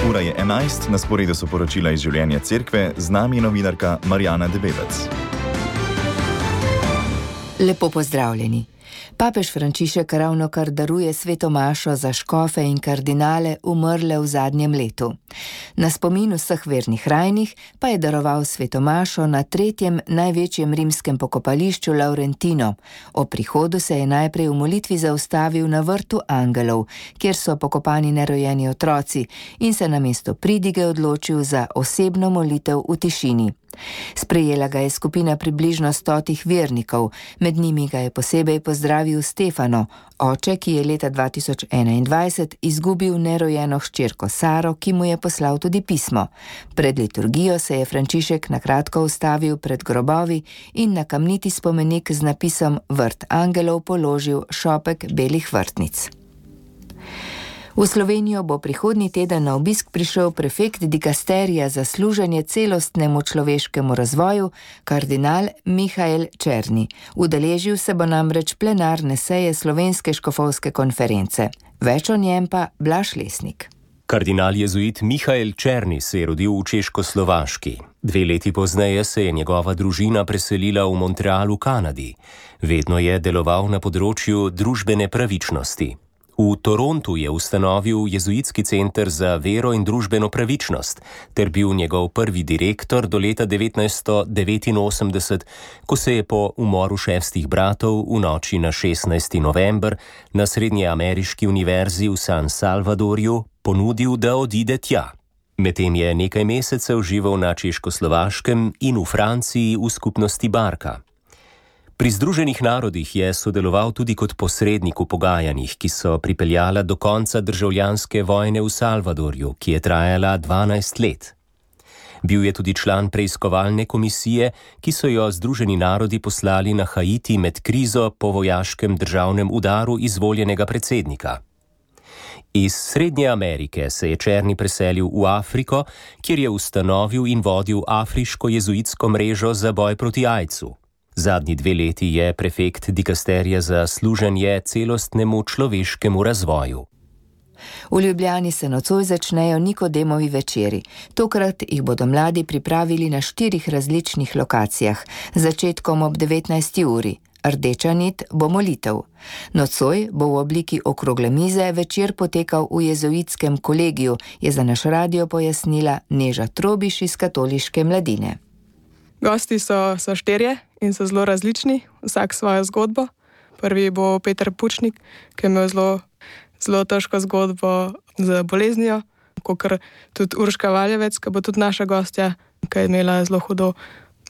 Ura je 11, na sporedu so poročila iz življenja cerkve, z nami novinarka Marjana Debevec. Lepo pozdravljeni. Papež Frančišek ravnokar daruje sveto mašo za škofe in kardinale umrle v zadnjem letu. Na spomin vseh vernih rajnih pa je daroval sveto mašo na 3. največjem rimskem pokopališču Laurentino. O prihodu se je najprej v molitvi zaustavil na vrtu angelov, kjer so pokopani nerojeni otroci, in se namesto pridige odločil za osebno molitev v tišini. Sprejela ga je skupina približno 100 vernikov, med njimi ga je posebej pozdravil Stefano, oče, ki je leta 2021 izgubil nerojeno hčerko Saro, ki mu je poslal tudi pismo. Pred liturgijo se je Frančišek na kratko ustavil pred grobovi in na kamniti spomenik z napisom Vrt angelov položil šopek belih vrtnic. V Slovenijo bo prihodnji teden na obisk prišel prefekt dikasterija za služenje celostnemu človeškemu razvoju, kardinal Mihael Černi. Udeležil se bo namreč plenarne seje Slovenske škofovske konference. Več o njem pa Blaž Lesnik. Kardinal jezuit Mihael Černi se je rodil v Češkoslovaški. 2 leti pozneje se je njegova družina preselila v Montreal v Kanadi. Vedno je deloval na področju družbene pravičnosti. V Torontu je ustanovil jezuitski center za vero in družbeno pravičnost, ter bil njegov prvi direktor do leta 1989, ko se je po umoru 6 bratov v noči na 16. november na Srednjeameriški univerzi v San Salvadorju ponudil, da odide tja. Medtem je nekaj mesecev živel na Češkoslovaškem in v Franciji v skupnosti Barka. Pri Združenih narodih je sodeloval tudi kot posrednik v pogajanjih, ki so pripeljala do konca državljanske vojne v Salvadorju, ki je trajala 12 let. Bil je tudi član preiskovalne komisije, ki so jo Združeni narodi poslali na Haiti med krizo po vojaškem državnem udaru izvoljenega predsednika. Iz Srednje Amerike se je Černi preselil v Afriko, kjer je ustanovil in vodil afriško jezuitsko mrežo za boj proti aidsu. Zadnji 2 leti je prefekt dikasterija za služenje celostnemu človeškemu razvoju. V Ljubljani se nocoj začnejo Nikodemovi večeri. Tokrat jih bodo mladi pripravili na 4 različnih lokacijah, z začetkom ob 19. uri. Rdeča nit bo molitev. Nocoj bo v obliki okrogle mize večer potekal v jezuitskem kolegiju, je za naš radio pojasnila Neža Trobiš iz katoliške mladine. Gosti so 4 in so zelo različni, vsak svojo zgodbo. Prvi bo Peter Pučnik, ki je imel zelo težko zgodbo z boleznijo, kakor tudi Urška Valjevec, ki bo tudi naša gostja, ki je imela zelo hudo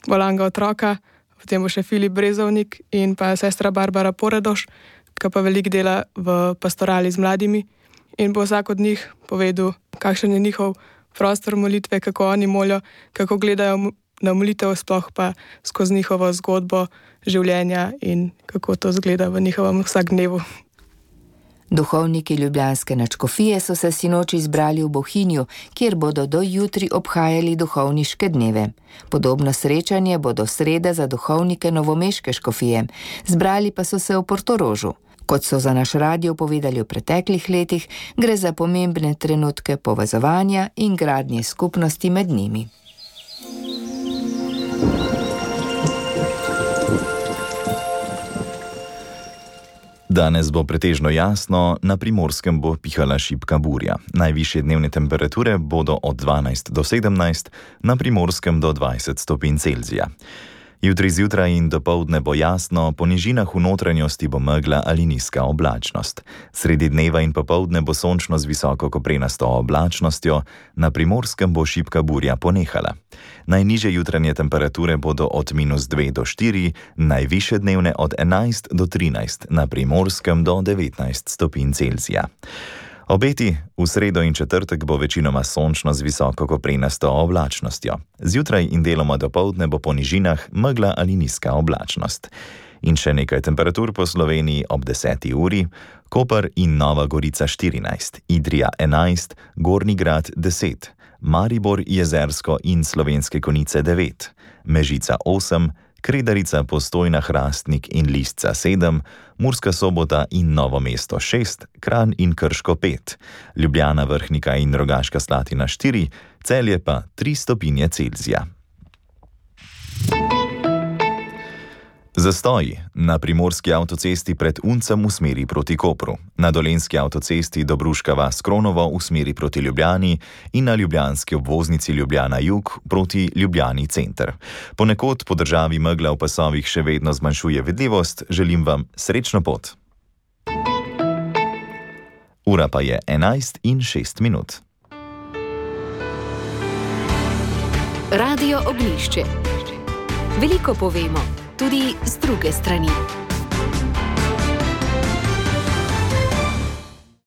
bolanga otroka. Potem bo še Filip Brezovnik in pa sestra Barbara Poredoš, ki pa veliko dela v pastorali z mladimi. In bo vsak od njih povedal, kakšen je njihov prostor molitve, kako oni molijo, kako gledajo na molitev, sploh pa skozi njihovo zgodbo življenja in kako to zgleda v njihovem vsakdnevu. Duhovniki ljubljanske nadškofije so se sinoči zbrali v Bohinju, kjer bodo do jutri obhajali duhovniške dneve. Podobno srečanje bodo sreda za duhovnike novomeške škofije. Zbrali pa so se v Portorožu. Kot so za naš radio povedali v preteklih letih, gre za pomembne trenutke povezovanja in gradnje skupnosti med njimi. Danes bo pretežno jasno, na Primorskem bo pihala šibka burja. Najvišje dnevne temperature bodo od 12 do 17, na Primorskem do 20 stopinj Celzija. Jutri zjutraj in dopoldne bo jasno, po nižinah v notranjosti bo megla ali nizka oblačnost. Sredi dneva in popoldne bo sončno z visoko koprenasto oblačnostjo, na Primorskem bo šibka burja ponehala. Najnižje jutranje temperature bodo od -2 do 4, najvišje dnevne od 11 do 13, na Primorskem do 19 stopinj Celzija. Obeti v sredo in četrtek bo večinoma sončno z visoko koprenasto oblačnostjo. Zjutraj in deloma dopoldne bo po nižinah megla ali nizka oblačnost. In še nekaj temperatur po Sloveniji ob 10. uri: Koper in Nova Gorica 14, Idrija 11, Gornji Grad 10, Maribor, Jezersko in Slovenske Konjice 9, Mežica 8, Kredarica, Postojna, Hrastnik in Listca 7, Murska Sobota in Novo mesto 6, Kranj in Krško 5, Ljubljana, Vrhnika in Rogaška Slatina 4, Celje pa 3 stopinje Celzija. Zastoji na primorski avtocesti pred Uncem v smeri proti Kopru, na dolenski avtocesti Dobruška vas Kronovo v smeri proti Ljubljani in na ljubljanski obvoznici Ljubljana jug proti Ljubljani center. Ponekod po državi megla v pasovih še vedno zmanjšuje vidljivost, želim vam srečno pot. Ura pa je 11:06. Radio Ognjišče. Veliko povemo, tudi z druge strani.